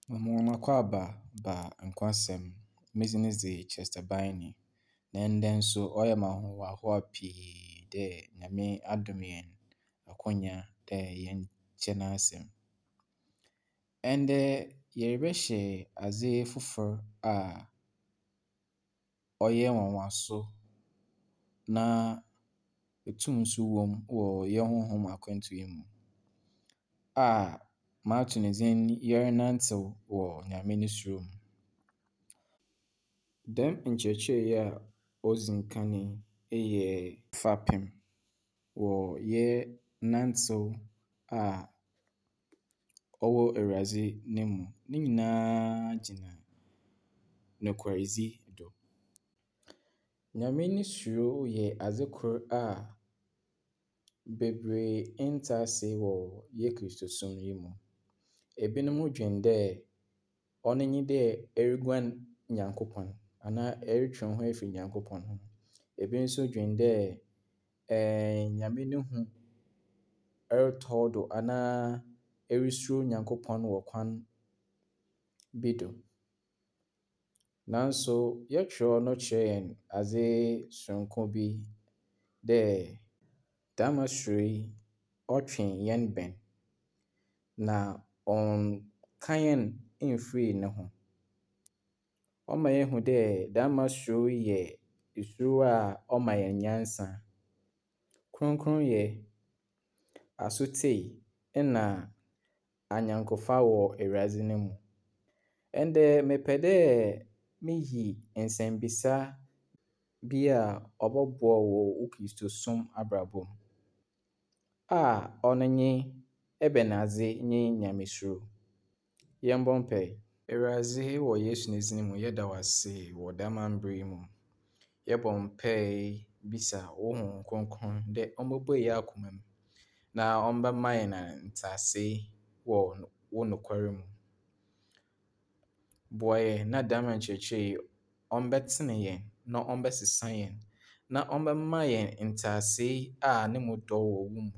Mema hɔn akwaaba ba Nkwasɛm. Me dzin dze Chester Biney, na ndɛ nso ɔyɛ me ahohoahoa pii dɛ Nyame adom hɛn akwanya dɛ yɛnkyɛ n'asɛm. Ndɛ yɛrebɛhyɛ adze fofor a ɔyɛ nwanwaso na tum nso wɔ mu wɔ hɛn honhom akwantu yi mu a mato ne dzin Yɛrenantsew wɔ Nyame no suro mu. Dɛm nkyerɛkyerɛ yi a odzi nkan yi yɛ fapem wɔ yɛn nantsew a ɔwɔ Ewuradze no mu. Ne nyinaa gyina nokwardzi do. Nyame no suro yɛ adze kor a beberee nntse ase wɔ hɛn Kristosom yi mu. Binom dwen dɛ ɔno nye dɛ eruguan Nyankopɔn anaa erotwe woho efi Nyankopɔn ho. Bi so dwen dɛ Nyame no hu rotɔ wo do anaa erusuro Nyankopɔn wɔ kwan bi do. Naaso hɛn kyerɛw no kyerɛ hɛn adze soronko bi dɛ dɛm suro yi ɔtwe hɛn bɛn na ɔnnka hɛn mmfir no ho. Ɔma yehu dɛ dɛm suro yi yɛ suro a ɔma hɛn nyansa, krɔnkrɔnyɛ, asotsie na anyɛnkofa wɔ Ewuradze no mu. Ndɛ mepɛ dɛ miyi nsɛmbisa bi a ɔbɔboa wo wɔ wo Kristosom abrabɔ mu a ɔno nye ebɛnadze nye Nyamesuro? Yɛmbɔ mpae. Ewuradze wɔ Yesu ne dzin mu yɛda wo ase wɔ dɛm mber yi mu. Yɛbɔ mpae bisa wo Honhom Kronkron dɛ ombobue hɛn akoma mu na ɔmbɛma hɛn ntseasee wɔ wo nokwar mu. Boa hɛn na dɛm nkyerɛkyerɛ yi ɔmbɛtsen hɛn na ɔmbɛsesa hɛn na ɔmbɛma hɛn ntseasee a no mu dɔ wɔ wo mu.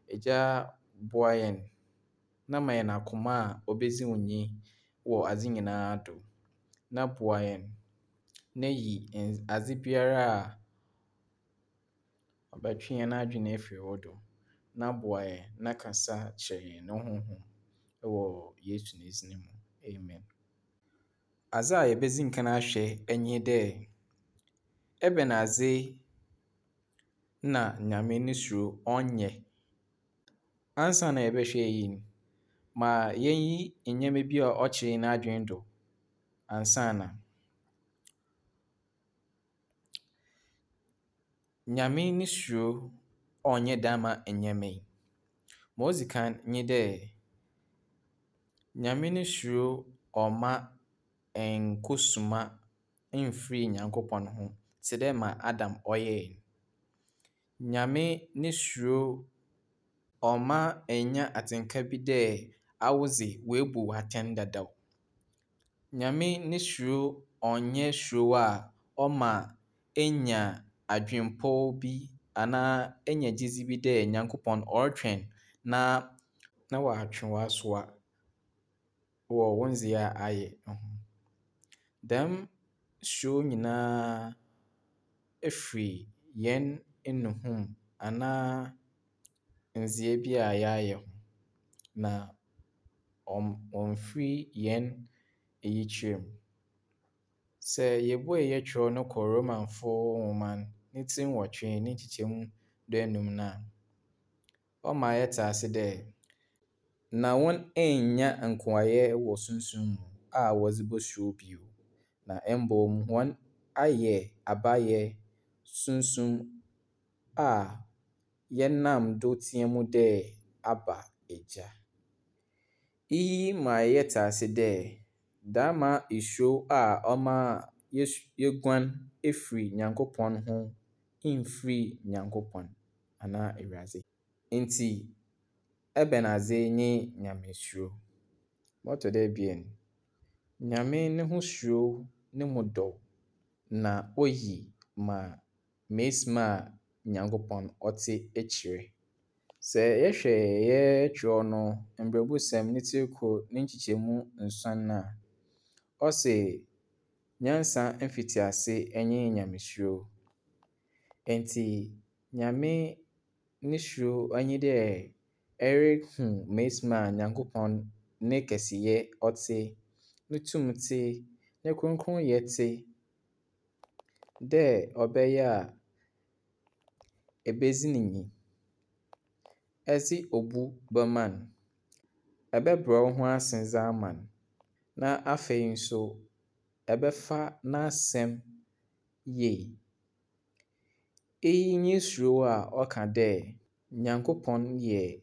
Egya boa hɛn na ma hɛn akoma a obedzi wo nyi wɔ adze nyinaa do na boa hɛn na yi adze biara a ɔbɛtwe hɛn adwen efir wo do na boa hɛn na kasa kyerɛ hɛn no honhom wɔ Yesu ne dzin mu. Amen. Adze a yebedzi nkan ahwɛ nye dɛ, ebɛnadze na Nyame no suro ɔnnyɛ? Ansaana yɛbɛhwɛ iyi no, ma yenyi ndzɛmba bi a ɔkyer hɛn adwen do ansaana. Nyame no suro ɔnnyɛ dɛm ndzɛmba yi. Ma odzi kan nye dɛ, Nyame no suro ɔmma nnkosuma mmfir Nyankopɔn ho tse dɛ ma Adam ɔyɛe no. Nyame no suro ɔmma nnya atsenka bi dɛ awodze woebu wo atsɛn dadaw. Nyame no suro ɔnnyɛ suro a ɔma enya adwenpɔw bi anaa enya gyedzi bi dɛ Nyankopɔn ɔrotweɔn na na ɔatwe w'asowa wɔ wo ndzeyɛɛ a ayɛ ho. Dɛm suro nyina fir hɛn nnuho mu anaa ndzeyɛɛ bi a yɛayɛ ho, na ɔmmfir hɛn eyikyerɛ mu. Sɛ yebue hɛn kyerɛw no kɔ Romanfo nwoma no ne tsir 8 ne nkyekyɛmu 15 no a, ɔma yɛtse ase dɛ, na hɔn ennya nkoayɛ wɔ sunsum mu a wɔdze bosuro bio, na mbom hɔn ayɛ abayɛ sunsum a yɛnam do tseɛ mu dɛ, Abba, Egya. Iyi ma yɛtse ase dɛ dama esuro a ɔma yeguan efir Nyankopɔn ho mmfir Nyankopɔn anaa Ewuradze. Ntsi ebɛnadze nye Nyamesuro? Ma ɔtɔ do ebien, Nyame no ho suro no mu dɔ na oyi ma mesim a Nyankopɔn ɔtse ekyir. Sɛ yɛhwɛ yɛ kyerɛw no Mbrɛbusɛm ne tsir kor ne nkyekyɛmu nsuon a, ɔse, Nyansa mfitsiase nye Nyamesuro. Ntsi Nyame ne suro nye dɛ erehu mesi ma Nyankopɔn ne kɛseyɛ ɔtse, no tum tse, no krɔnkrɔnyɛ tse, dɛ ɔbɛyɛ a ebedzi no nyi, edze obu bɛma no, ebɛbrɛ woho ase dze ama no, na afei so ebɛfa n'asɛm yie. Iyi nye suro a ɔka dɛ Nyankopɔn yɛ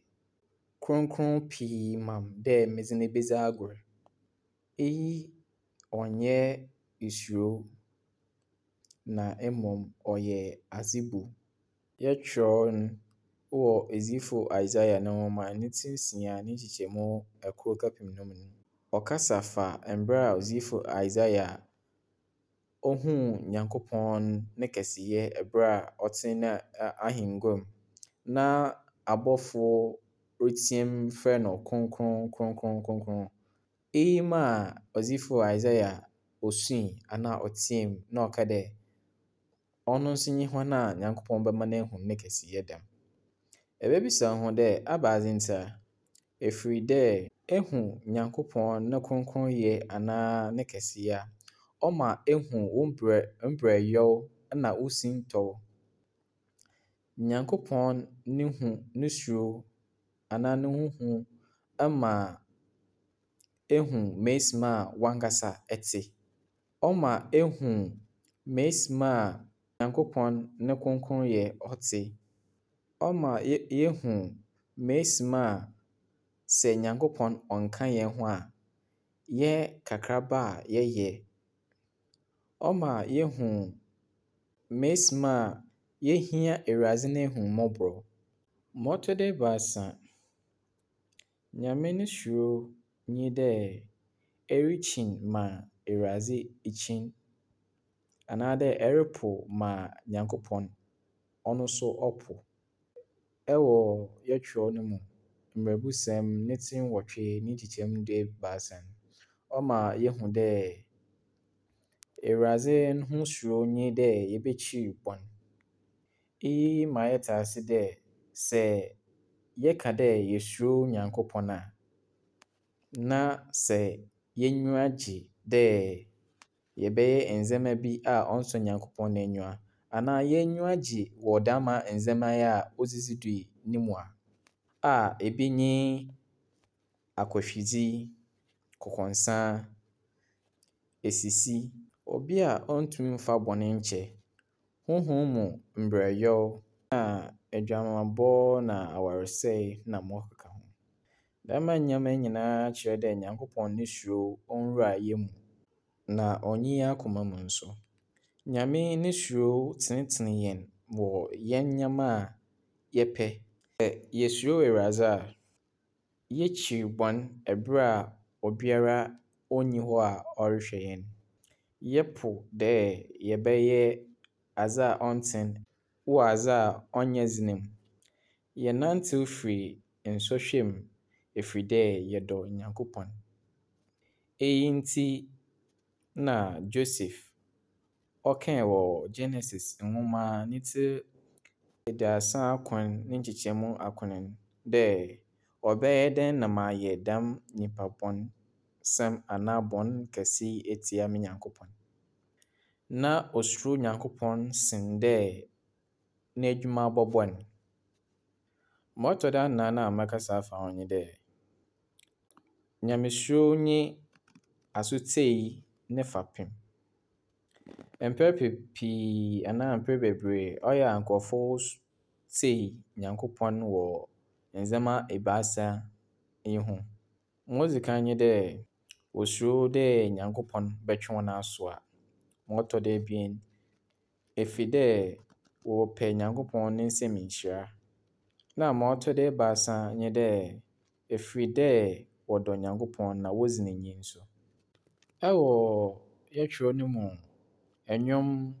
krɔnkrɔn pii ma me dɛ medze no bedzi agor. Iyi ɔnnyɛ suro na mbom ɔyɛ adzebu. Yɛtwerɛw no wɔ edzifo Isaiah no nwoma ne tsir 6 ne nkyekyɛmu 1 kɛpem 5 no. Ɔkasa fa mbrɛ a odzifo Isaiah ohun Nyankopɔn ne kɛseyɛ ber a ɔtse n'ahengua mu na abɔfo retsia mu frɛ no krɔnkrɔn krɔnkrɔn krɔnkrɔn. Iyi maa odzifo Isaiah osui anaa ɔtseaa mu na ɔkaa dɛ ɔno so nye hɔn a Nyankopɔn bɛma no ehu ne kɛseyɛ dɛm. Ebebisa wo ho dɛ ebɛnadze ntsi a? Efir dɛ ehu Nyankopɔn no krɔnkrɔnyɛ anaa ne kɛseyɛ a, ɔma ehu wo mbrɛyaw na wo sintɔw. Nyankopɔn no hu no suro anaa no ho hu ma ehu mesi ma wankasa etse. Ɔma ehu mesi ma Nyankopɔn no krɔnkrɔnyɛ ɔtse. Ɔma yehu mesi ma sɛ Nyankopɔn ɔnnka hɛn ho a, yɛn kakraba a yɛyɛ. Ɔma yehu mesi ma yehia Ewuradze n'ehumbɔbor. Ma ɔtɔ do ebiasa, Nyame no suro nye dɛ erikyin ma Ewuradze kyin anaadɛ eropow ma Nyankopɔn ɔno so ɔpow. Wɔ yɛn kyerɛw no mu, Mbrɛbusɛm ne tsir 8 ne nkyekyɛmu 13 no, ɔma yehu dɛ Ewuradze no ho suro nye dɛ yebekyir bɔn. Iyi ma yɛtse ase dɛ sɛ yɛka dɛ yesuro Nyankopɔn a, na sɛ y'enyiwa gye dɛ yɛbɛyɛ ndzɛmba bi a ɔnnsɔ Nyankopɔn n'enyiwa anaa y'enyiwa gye wɔ dɛm ndzɛmba yi a odzidzi do yi no mu a ebi nye akɔhwidzi, kɔkɔnsa, esisi, obi a onntum mmfa bɔn nkyɛ, honhom mu mberɛwyɛ na edwamambɔ na awarsɛe na ma ɔkeka ho. Dɛm ndzɛmba yi nyina kyerɛ dɛ Nyankopɔn no suro onnwura hɛn mu na onnyi hɛn akoma mu so. Nyame no suro tsenetsen hɛn wɔ hɛn ndzɛmba a yɛpɛ. Sɛ yesuro Ewuradze a, yekyir bɔn ber a obiara onnyi hɔ a ɔrohwɛ hɛn. Yɛpow dɛ yɛbɛyɛ adze a ɔnntsen wɔ adze a ɔnnyɛ dzen mu. Yɛnantsew fi nsɔhwɛ mu efir dɛ yɛdɔ Nyankopɔn. Iyi ntsi na Joseph ɔkaa wɔ Genesis nwoma ne tsir 39 ne nkyekyɛmu 9 dɛ ɔbɛyɛ dɛn na mayɛ dɛm nyimpa bɔnsɛm anaa bɔn kɛse yi etsia me Nyankopɔn. Na osuro Nyankopɔn sen dɛ n'edwuma bɔbɔ no. Ma ɔtɔ do anan a mɛkasa afa ho nye dɛ, Nyamesuro nye asotsie ne fapem. Mpɛn pii anaa mpɛn beberee ɔyɛ a nkorɔfo tsie Nyankopɔn wɔ ndzɛmba ebiasa yi ho. Ma odzi kan nye dɛ, wosuro dɛ Nyankopɔn bɔtwe hɔn asowa. Ma ɔtɔ do ebien, efi dɛ wɔpɛ Nyankopɔn ne nsamu nhyira. Na ma ɔtɔ do ebiasa nye dɛ, efir dɛ wɔdɔ Nyankopɔn na wodzi no nyi so. Ɛwɔ yɛtwerɛ no mu, Nnwom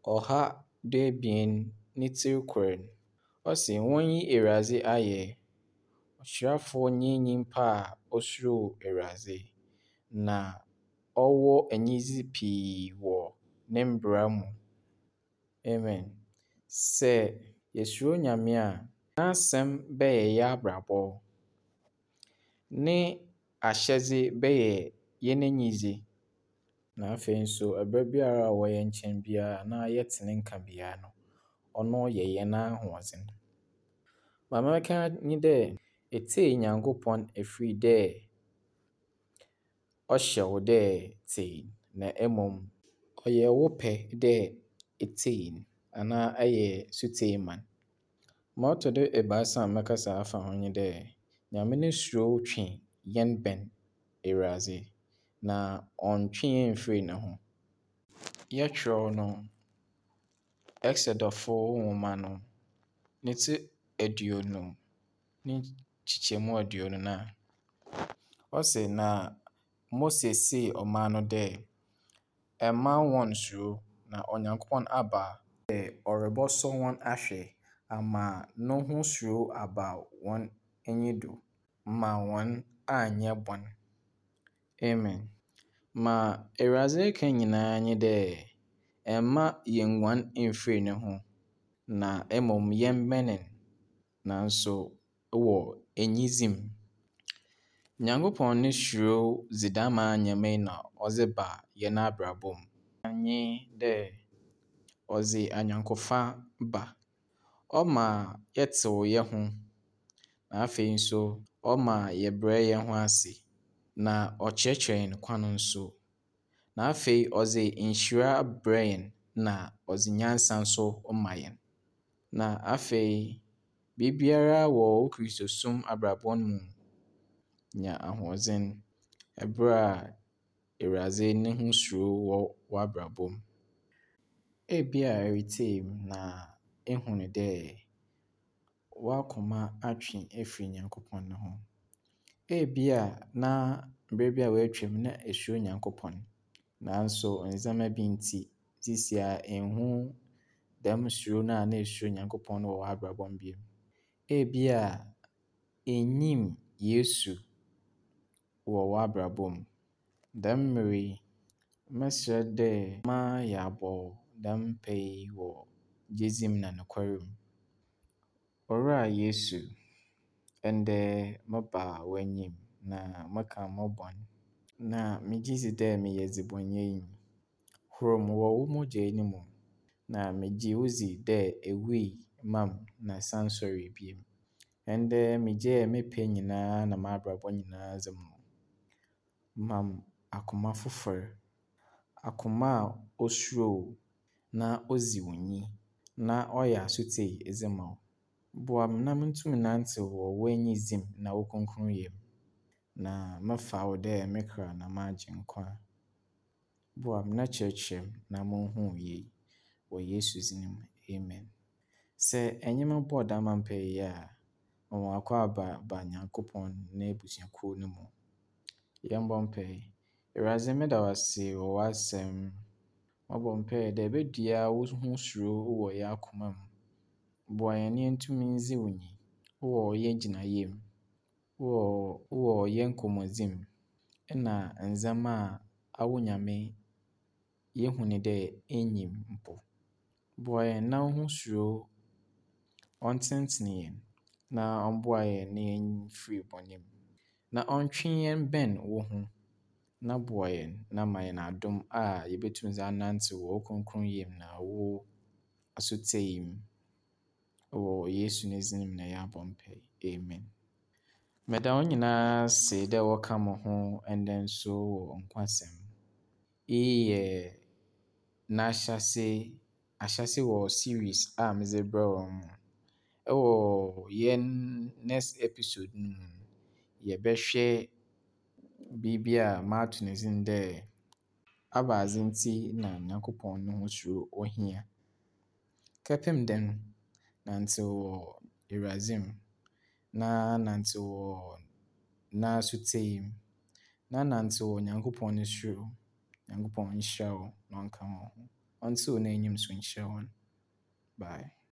112 ne tsir 1 no, Ɔse, Wonyi Ewuradze ayɛ. Ɔhyirafo nye nyimpa a osuro Ewuradze, na ɔwɔ enyidzi pii wɔ ne mbra mu. Amen. Sɛ yesuro Nyame a, n'asɛm bɛyɛ y'abrabɔ. Ne ahyɛdze bɛyɛ hɛn enyidzi. Na afei so aber biara a ɔwɔ hɛn nkyɛn biara anaa yɛtse ne nka biara no, ɔno yɛ hɛn ahoɔdzen. Ma mɛka nye dɛ, etsie Nyankopɔn efir dɛ ɔhyɛ wo dɛ tsie, na mbom ɔyɛ wo pɛ dɛ etsie no anaa eyɛ setsie ma no. Ma ɔtɔ do ebiasa a mɛkasa afa ho nye dɛ, Nyame no suro twe hɛn bɛn Ewuradze, na ɔnntwe hɛn mmfir no ho. Yɛtwerɛw no Exodufo nwoma no ne tsir 20 ne nkyekyɛmu 24. Ɔse, Na Mose see ɔman no dɛ, Mma wɔnnsuro, na Onyankopɔn aba dɛ ɔrobɔsɔ hɔn ahwɛ ama no ho suro aba hɔn enyi do ma hɔn annyɛ bɔn. Amen. Ma Ewuradze reka nyina nye dɛ mma yennguan mmfir no ho, na mbom yɛmbɛn no, naaso wɔ enyidzi mu. Nyankopɔn no suro dze dɛm ndzɛmba yi na ɔdze ba hɛn abrabɔ mu. Nye dɛ ɔdze anyɛnkofa ba. Ɔma yɛtsew hɛnho, na afei so ɔma yɛbrɛ hɛnho ase, na ɔkyerɛkyerɛ hɛn kwan so. Na afei ɔdze nhyira brɛ hɛn na ɔdze nyansa so ma hɛn. Na afei biribiara wɔ wo Kristosom abrabɔ no mu nya ahoɔdzen ber a Ewuradze no ho suro wɔ w'abrabɔ mu. Ebia eretsie mu na ehu no dɛ w'akoma atwe efir Nyankopɔn no ho. Ebia na mber bi a woetwa mu na esuro Nyankopɔn, naaso ndzɛmba bi ntsi, seseiara ennhu dɛm suro no a nna esuro Nyankopɔn no wɔ w'abrabɔ mu bio. Ebia innyim Yesu wɔ w'abrabɔ mu. Dɛm mber yi, mɛserɛ dɛ ma yɛabɔ dɛm mpaa yi wɔ gyedzi mu na nokwar mu. Owura Yesu, ndɛ meba w'enyim na meka mo bɔn, na megye dzi dɛ meyɛ dzebɔnyɛnyi. Hor me wɔ wo mogya no mu, na megye wo dzi dɛ ewui maa me na esan soɛree bio. Ndɛ megyaa me pɛ nyinaa na m'abrabɔ nyinaa dze ma wo. Ma me akoma fofor, akoma a osuro wo na odzi wo nyi na ɔyɛ asotsie dze ma wo. Boa me na muntum nnantsew wɔ w'enyidzi mu na wo krɔnkrɔnyɛ mu, na mefa wo dɛ me kra na m'agyenkwa. Boa me na kyerɛkyerɛ me na munhu wo yie. Wɔ Yesu dzin mu, amen. Sɛ enye me bɔɔ dɛm mpaa yi a, ma w'akwaaba ba Nyankopɔn n'ebusuakuw no mu. Yɛmbɔ mpaa. Ewuradze, meda wo ase wɔ w'asɛm. Mobɔ mpaa dɛ ebedua wo ho suro wɔ hɛn akoma mu. Boa hɛn na yentum ndzi wo nyi wɔ hɛn gyinae mu, wɔ hɛn nkɔmbɔdzi mu, na ndzɛmba a awo Nyame yehu no dɛ innyim mpo. Boa hɛn na wo ho suro ɔntsenetsen hɛn na ɔmboa hɛn na yɛmfir bɔn mu, na ɔntwe hɛn bɛn wo ho, na boa hɛn na ma hɛn adom a yebotum dze anantsew wɔ wo krɔnkrɔnyɛ mu na wo asotsie mu. Wɔ Yesu ne dzin mu na yɛabɔ mpaa. Amen. Meda hɔn nyinaa ase dɛ wɔka mo ho ndɛ nso wɔ nkwasɛm. Iyi yɛ n'ahyɛse ahyɛse wɔ series a medze brɛ hɔn mu. Ɛwɔ yɛn next episode no mu no, yɛbɛhwɛ biribi a mato ne dzin dɛ Abadze ntsi na Nyankopɔn no ho suro ohia. Kɛpem dɛn, nantsew wɔ Ewuradze mu, na nantsew wɔ n'asotsie mu, na nantsew wɔ Nyankopɔn no suro mu. Nyankopɔn nhyira wo na ɔnka wo ho. Ɔntsew n'enyim so nkyerɛ hɔn. Bye.